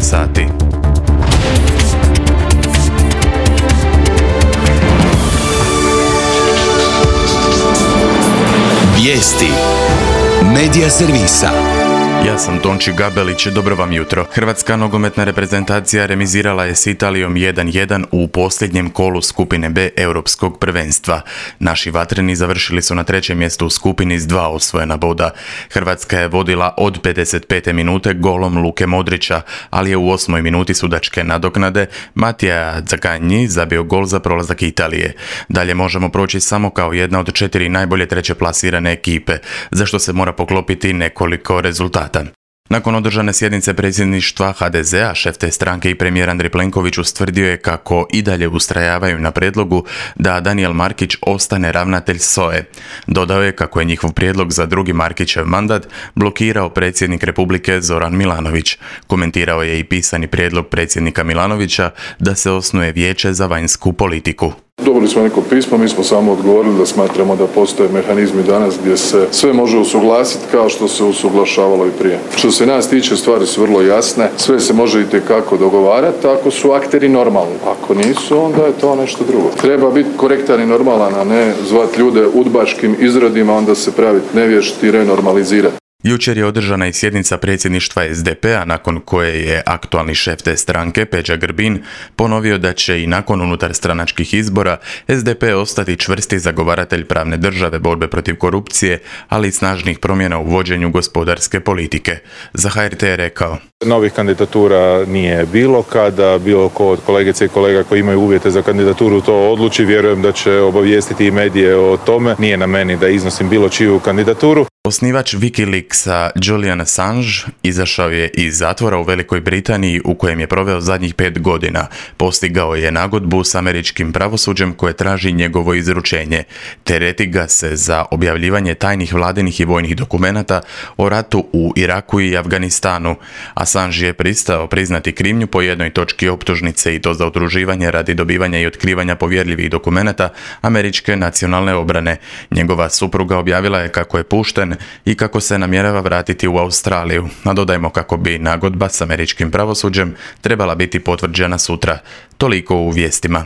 sati. Vijesti Medija servisa. Ja sam Tonči Gabelić, dobro vam jutro. Hrvatska nogometna reprezentacija remizirala je s Italijom 1:1 u posljednjem kolu skupine B Europskog prvenstva. Naši vatreni završili su na 3. mjestu u skupini s 2 osvojena boda. Hrvatska je vodila od 55. minute golom Luke Modrića, ali je u 8. minuti sudačke nadoknade Mattia Zaccagni zabio gol za prolazak Italije. Dalje možemo proći samo kao jedna od 4 najbolje treće plasirane ekipe, za što se mora poklopiti nekoliko rezultata. Nakon održane sjednice predsjedništva HDZ-a, šef te stranke i premijer Andrej Plenković ustvrdio je kako i dalje ustrajavaju na prijedlogu da Danijel Markić ostane ravnatelj SOA-e. Dodao je kako je njihov prijedlog za drugi Markićev mandat blokirao predsjednik Republike Zoran Milanović. Komentirao je i pisani prijedlog predsjednika Milanovića da se osnuje vijeće za vanjsku politiku. Dobili smo neko pismo, mi smo samo odgovorili da smatramo da postoje mehanizmi danas gdje se sve može usuglasiti kao što se usuglašavalo i prije. Što se nas tiče, stvari su vrlo jasne, sve se može itekako dogovarati ako su akteri normalni. Ako nisu, onda je to nešto drugo. Treba biti korektan i normalan, a ne zvati ljude udbaškim izrodima, onda se praviti nevješti i renormalizirati. Jučer je održana i sjednica predsjedništva SDP-a nakon koje je aktualni šef te stranke, Peđa Grbin, ponovio da će i nakon unutarstranačkih izbora SDP ostati čvrsti zagovaratelj pravne države, borbe protiv korupcije, ali i snažnih promjena u vođenju gospodarske politike. Za HRT je rekao: Novih kandidatura nije bilo. Kada bilo ko od kolegice i kolega koji imaju uvjete za kandidaturu to odluči, vjerujem da će obavijestiti i medije o tome. Nije na meni da iznosim bilo čiju kandidaturu. Osnivač Wikileaksa Julian Assange izašao je iz zatvora u Velikoj Britaniji u kojem je proveo zadnjih 5 godina. Postigao je nagodbu s američkim pravosuđem koje traži njegovo izručenje. Tereti ga se za objavljivanje tajnih vladinih i vojnih dokumenata o ratu u Iraku i Afganistanu. Assange je pristao priznati krivnju po jednoj točki optužnice i to za udruživanje radi dobivanja i otkrivanja povjerljivih dokumenata američke nacionalne obrane. Njegova supruga objavila je kako je pušten i kako se namjerava vratiti u Australiju, a dodajmo kako bi nagodba s američkim pravosuđem trebala biti potvrđena sutra. Toliko u vijestima.